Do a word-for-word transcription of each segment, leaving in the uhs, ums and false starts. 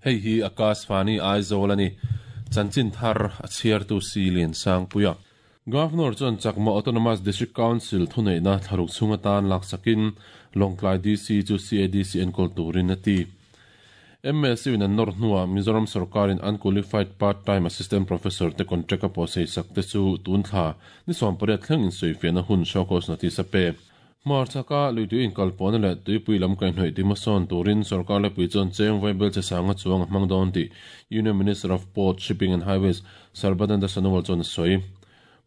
Hei hi Akashvani Aizawl ani. Chanchin thar a chhiartu si lian sang puia. Governor chuan Chakma Autonomous District Council thuneihna thlaruk chhunga tan laksakin Lawngtlai D C chu C A D C enkawl turin a ti. M S U in an nawr hnuah Mizoram sarkarin unqualified part-time assistant professor te contract a pawh sei sak te chu tun thla ni sawm pariat thleng in sawifiahna hun show cause notice a pe. Hmarchhaka luitui inkalpawhna leh tuipui lam kaihhnawih timasawn turin sarkar lepui chuan cheng vaibel che sanga chuang a hmang dawn tih Union Minister of Port, Shipping and Highways Sarbananda Sonowal chuan a sawi.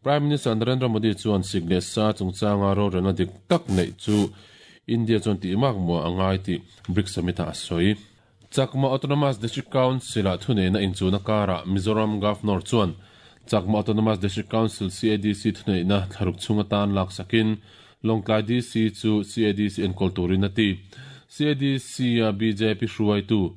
Prime Minister Narendra Modi chuan sik leh sa chungchanga rorelna dik tak neih chu India chuan tih mak muah a ngai tih BRICS Summit ah a sawi. Chakma Autonomous District Council ah thuneihna inchuna karah Mizoram Governor chuan Chakma Autonomous District Council C A D C thuneihna thlaruk chhunga tan laksakin Lawngtlai D C chu C A D C enkawl turin a ti. C A D C a B J P hruaitu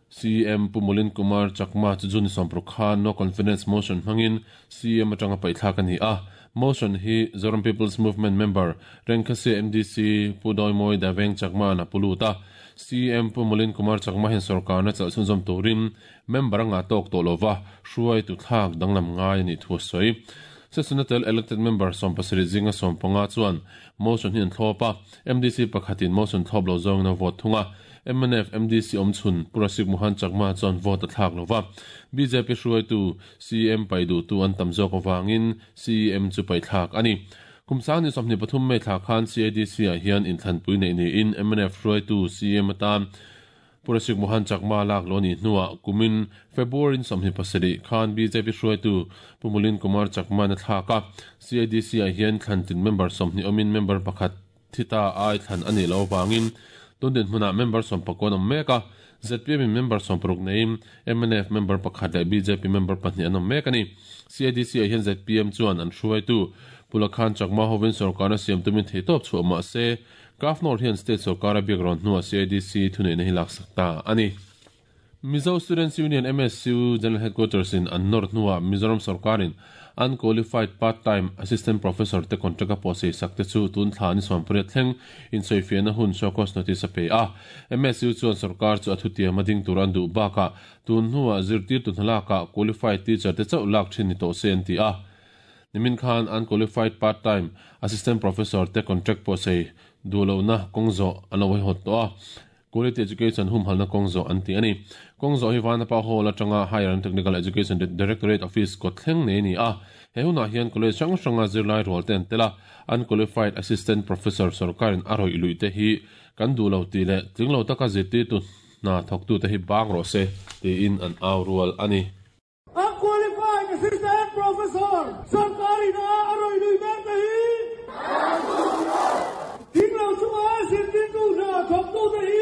C M Pumulin Kumar Chakma chu June sawmparuk khan no confidence motion hmangin C M atanga paithlak ani a. Motion hi Zoram People's Movement member Rengkhasi M D C Pudoimoy Daveng Chakma na puluta. C M Pumulin Kumar Chakma hen sarkar na chalchun zom turin member anga tok to lova hruai tu thlak danglam ngai ani thu soi. Sesunatel elected member sawmpasarih zinga sawmpanga chuan motion hi an thlopa M D C pakhatin motion thlop lo zawng na vote thunga. M N F M D C awmchhun Purasik Mohan Chakma chuan vote a thlak lova. B J P hruaitu C M paidu tu an tam zawk awangin C M chu paithlak ani. Kumsang ni sawmhnih pathum mai thla khan C A D C ah hian inthlanpui nei niin M N F hruaitu C M atan Purasik Mohan Chakma lak lo ni hnuah kumin February sawmhnih pasarih khan B J P hruaitu Pumulin Kumar Chakma na thlak a. C A D C ah hian thlantin member sawmhnih awmin member pakhat thita ai thlan ani lo wangin tundin hmunah member sawmpakon awm mek a. Z P M in member sawmparuk neiin M N F member pakhat leh B J P member pahnih an awm mek ani. C A D C ah hian Z P M chuan an hruaitu Pulakhan Chakma hovin sarkar a siam tumin thei tawp chhuah mah se Governor hian state sarkar a biak rawn hnuah C A D C thuneihna hi laksak ta ani. Mizo Students Union M S U General Headquarters in an nawr hnuah Mizoram sarkarin unqualified part-time assistant professor te contract a pawh sei sak te chu tun thla ni sawmpariat thleng in sawifiahna hun show cause notice a pe a. M S U chuan sarkar chu a thutiam a ding tur an duh bakah tun hnuah zirtir tu hnalakah qualified teacher te chauh lak thin ni tawh se an ti a. Nimin khan unqualified part-time assistant professor te contract pawh sei duhlohna kawngzawh an lo hawt tawh a. Quality Education humhalna kawngzawh an ti ani. Kawngzawh hi Vanapa Hall atanga Higher and Technical Education Directorate Office kawt thleng nei ni a. He hunah hian college hrang hranga zirlai rual te an tel a. Unqualified assistant professor sarkarin a rawih lui te hi kan duhlo ti leh tlinglo taka zirtir tu hna thawktu te hi bang rawh se tiin an au rual ani. Unqualified assistant professor sarkarin a rawih lui mek te hi tlinglo chunga zirtir tu hna thawktu te hi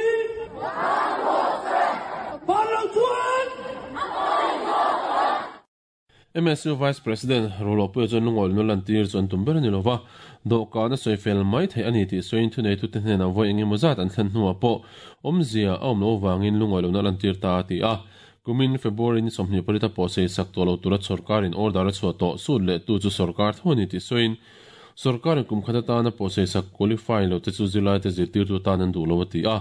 M S U Vice President Rolo Puia chuan lungawih nulan tir chuan tum ber ani lova dawhkan a sawifel mai thei ani tih sawiin thunei tu te hnenah vawi engemaw zat an thlen hnuah pawh awmzia a awm lo wangin lungawih lohna lan tir ta a ti a. Kumin February ni sawmhnih parita pawh sei sak tawh lo tura sarkarin order a chhuah tawh sut leh tu chu sarkar tho ani tih sawiin sarkarin kum khat atana pawh sei sak qualify lo te chu zirlai te zirtir tu tan an duh lo a ti a.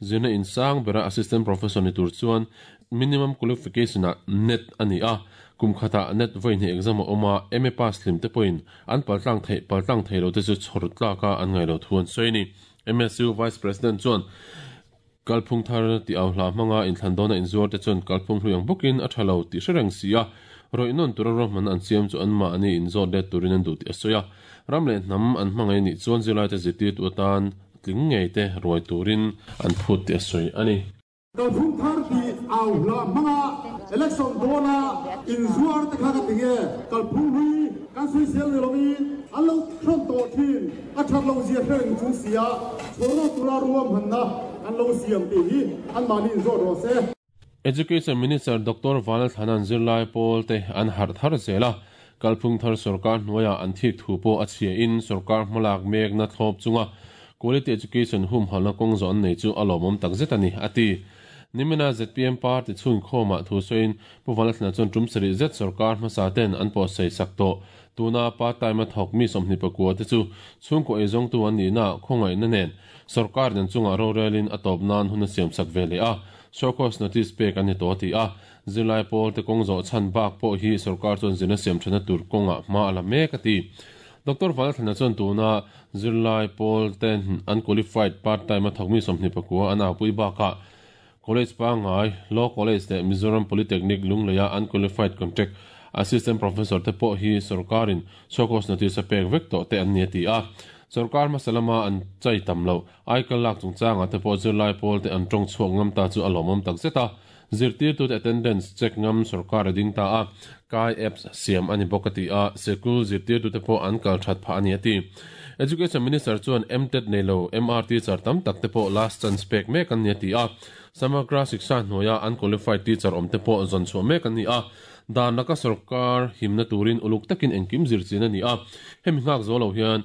Zirna insang bera assistant professor ni tur chuan minimum qualification ah net ani a. Kum khata net vawi exam a awm a M A pass hlim te pawhin an paltlang thei paltlang thei lo te chu chhawr tlaka an ngai lo thu an sawi ni. M S U Vice President chuan kalphung thar ti au hla hmanga inthlan dawna inzuar te chuan kalphung hlui ang bawkin a tha lo tih hre reng si a. Rawih nawn tura ruahman an siam chu an mahni inzawt let turin an duh tih a sawi a. Ram leh hnam an hmangai nih chuan zirlai te zirtir tu atan tling ngei te ruai turin an phut tih a sawi ani. Kalphung thar ti au hla hmanga election dawna inzuar te kha ka ti nge kalphung hlui kan sawi sel ni lovin an lo thron tawh thin a that lo zia hre reng chung si a chhawrna tura ruahmanna an lo siam tih hi an mahni inzawt rawh se. Education Minister Doctor Vanal Thanan zirlai pawl te an harh thar zel a. Kalphung thar sarkar hnuaiah an thik thu pawh a chhia in sarkar hmalak mekna thlawp chunga quality education humhalna kawngzawh an nei chu a lawmawm tak zet ani a ti. Nimina Z P M party chhun khawmah thu sawiin Pu Vanlalthlana chuan tum sarih zet sarkar hmasa ten an pawh sei sak tawh. Tuna part-time a thawk mi sawmhnih pakua te chu chhungkaw ei zawng tu an nihna khawngaihna nen sarkar nen chungah rorelin a tawp nan hun a siam sak ve leh a. Show cause notice pek ani to ti a zirlai pawl te kawng zawh chhan bak pawh hi sarkar chuan zirna siam thana tur kawnga hma ala mek a ti. Doctor Valthana chuan tuna zirlai pawl ten unqualified part time a thawkmi sawmhnih pakua an a pui bakah College Pangai Law College le Mizoram Polytechnic Lungleia unqualified contract assistant professor te pawh hi sarkarin show cause notice a pek vek tawh te an ni ti a. Sarkar masalama an chai tam lo aikal lak chungchanga te pawh zirlai pawl te an tawng chhuak ngam ta chu a lawmawm tak zet a. Zirtir tu te attendance check ngam sarkar a ding ta a kai apps siam ani bawk a ti a sikul zirtir tu te pawh an kal that pha ani ati. Education Minister chuan M T E T nei lo M R T char tam tak te pawh last chance pek mek an ni ati a. Samagra Shiksha hnuaia unqualified teacher awm te pawh zawn chhuah mek an ni a. Dan laka sarkar himna turin uluk takin engkim zir chin ani a. Hemi nghak zo lo hian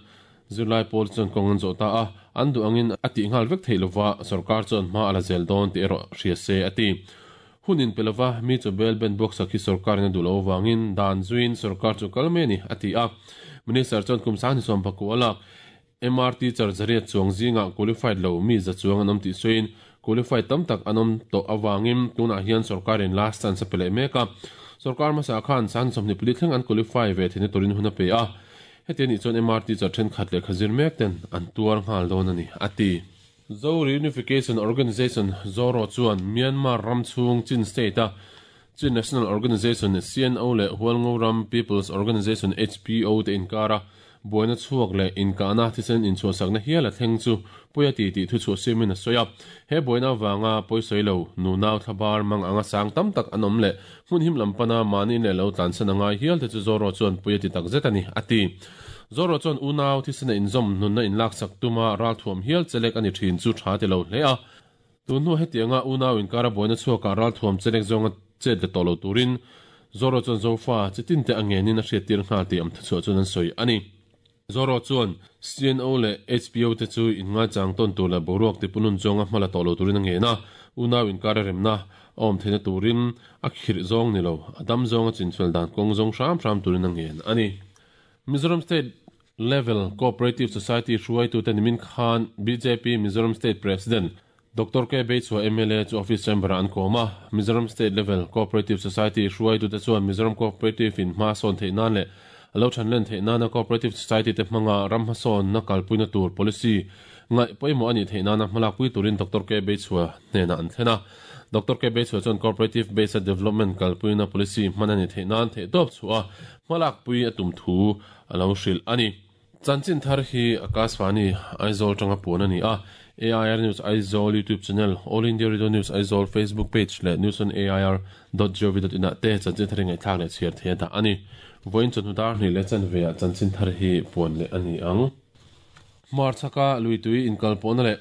zirlai pawl chuan kawng an zawh ta a an duh angin a tih nghal vek thei lova sarkar chuan hma ala zel dawn tih erawh hria se ati. Hunin pelova mi chu bel ben box a khi sarkar in a duh lo wangin dan zuin sarkar chu kal me ni ati a. Minister chuan kum sang ni sawm pakua lak M R T char zariat chuang zinga qualified lo mi za chuang an awm tih sawiin qualified tam tak an awm tawh awangin tunah hian sarkarin last chance a pe leh mek a. Sarkar hmasa khan sang sawmhnih pali thleng an qualify ve theihna turin hun a pe a. Heti ani chuan M R T char thenkhat leh khazir mek ten an tuar nghal dawn ani ati. Zo Reunification Organization Zoro chuan Myanmar Ramchhung Chin State a Chin National Organization C N O le Hualngo Ram People's Organization H P O te inkara buaina chhuak le inkana thisen inchhuahsakna hial a thleng chu puia ti tih thu chhuah siamin a sawi a. He buaina wanga pawisawi lo nunau thlabar mang anga sang tam tak an awm leh hmun him lampana mahni leh lo tlansan angai hial te chu Zoro chuan puia ti tak zet ani ati. Zoro chuan unau thisena inzawm nunna inlaksak tuma ral thuam hial chelek ani thin chu tha ti lo hle a. Tun hnu hetianga unau inkara buaina chhuaka ral thuam chelek zawnga chet le tawh lo turin Zoro chuan zofa chitin te angenin a hriat tir nghal tih am thu chhuah chuan an sawi ani. Zoro chuan C N O le H P O te chu inngai chang tawn tur leh boruak ti punun zawnga hmala tawh lo turin a ngen a. Unau inkara remna a awm theihna turin a khirh zawng ni lo a dam zawnga chinchhual dan kawng zawng hram hram turin a ngen ani. Mizoram State Level Cooperative Society hruai tu te nimin khan B J P Mizoram State President Doctor K Beichua M L A chu office chamber an kawm a. Mizoram State Level Cooperative Society hruai tu te chuan Mizoram Cooperative in hma sawn theih nan leh alo than len theih nana Cooperative Society te hmanga ram hmasawn na kalpuina tur policy ngai pawimawh ani theih nana hmalak pui turin Doctor K Beichua hnena an thlen a. Doctor K Beichua chuan Cooperative Based Development kalpuina policy hman ani theih nan theih tawp chhuah a hmalak pui a tum thu alo hrilh ani. Chanchin thar hi Akashvani Aizawl tanga puan ani a. A I R News Aizawl YouTube channel, All India Radio News Aizawl Facebook page le news on A I R dot gov dot in te chanchin thar ngai thlak leh chhiar thei da ani. Voin chun dar ni le chan ve a chanchin thar hi puan le ani ang. Marchaka lui tui inkal pawna le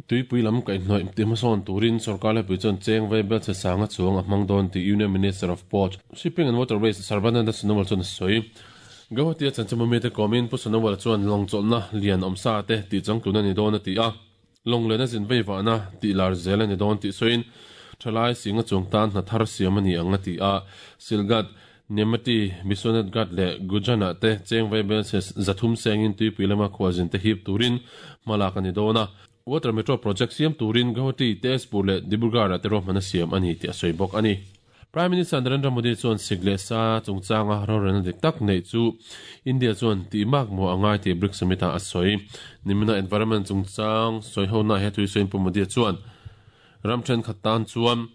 tui pui lam kai hnoi ti hmasawn turin sarkar le pui chuan cheng vai bel che sanga chuang a hmang dawn ti Union Minister of Port Shipping and Waterways Sarbananda Sonowal chuan a sawi. Guwahati a chanchin mi te komin pu Sonowal chuan long chawlhna lian awm sa te tih changtlun ani dawn a ti a. Long lena zin vei vahna tih lar zel ani dawn tih sawiin thalai singa chuang tan hna thar siam ani ang a ti a. Silgat Nemati Biswanath Ghat le Gujana te cheng vai bel che zathum sengin tuipui lama khualzin te hip turin hmalak ani dawn a. Water Metro Project siam turin Guwahati Tezpur le Dibrugarh te ruahmana siam ani tih a sawi bawk ani. Prime Minister Narendra Modi chuan sikle sa chungchanga rorelna dik tak nei chu India chuan tih mak maw angai tih BRICS Summit ah a sawi. Nimina environment chungchang sawi ho na he tui sawiin Pu Modi chuan ram thenkhat tan chuan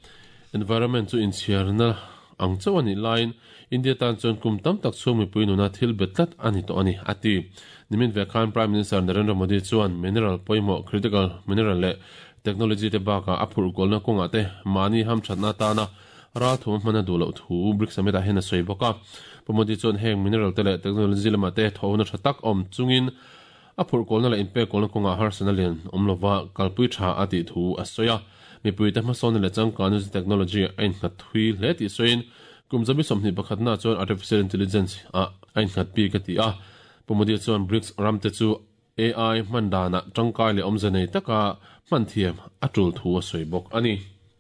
environment chu inchhiarna ang chauh ani lain India tan chuan kum tam tak chhung mipui nuna thil bet tlat ani tawh ani ati. Nimin ve khan Prime Minister Narendra Modi chuan mineral pawimawh critical mineral leh technology te bakah a phurh kawlna kawngah te mahni hamthatna tana ral thum hmana duh loh thu BRICS Summit ah hian a sawi bawk a. Pu Modi chuan heng mineral te leh technology lamah te thawhna tha tak awm chungin a phurh kawlna leh inpek kawlna kawngah harsana lian awm lova kalpui tha a tih thu a sawi a. Mipui te hmasawn leh changkanu technology a innghat thui hle tih sawiin kum zabi sawmhnih pakhatna chuan artificial intelligence a a innghat bik a ti a. Pu Modi chuan BRICS ram te chu A I hman danah tangkai leh awmze nei taka hman thiam a tul thu a sawi bawk ani.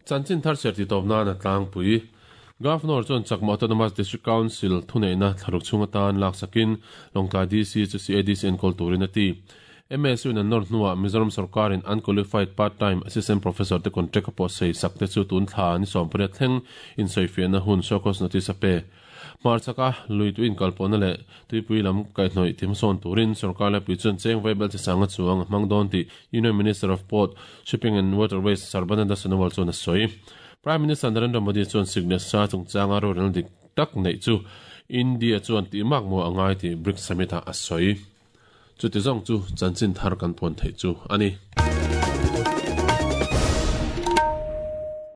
Chanchin thar ser ti tawp nan a tlangpui. Governor chuan Chakma Autonomous District Council thuneihna thlaruk chhung atan laksakin Lawngtlai D C chu C A D C enkawl turin a ti. M S U in an nawr hnuah Mizoram sorkarin unqualified part-time assistant professor te contract a pawh sei sak te chu tun thla ni sawmpariat thleng insawifiahna hun show cause notice a pe. Hmarchaka lui tui inkalpawhna leh tuipui lam kaihhnawih thimsawn turin sorkar laipui chuan cheng vaibel chi sanga chuang a hmang dawn tih Union Minister of Port, Shipping and Waterways Sarbananda Sonowal chuan a sawi. Prime Minister Narendra Modi chuan sikna sa chungchanga rorelna dik tak neih chu India chuan tih mak maw a ngai tih BRICS Summit ah a sawi. Chuti zawng chu chanchin thar kan puan theih chu a ni.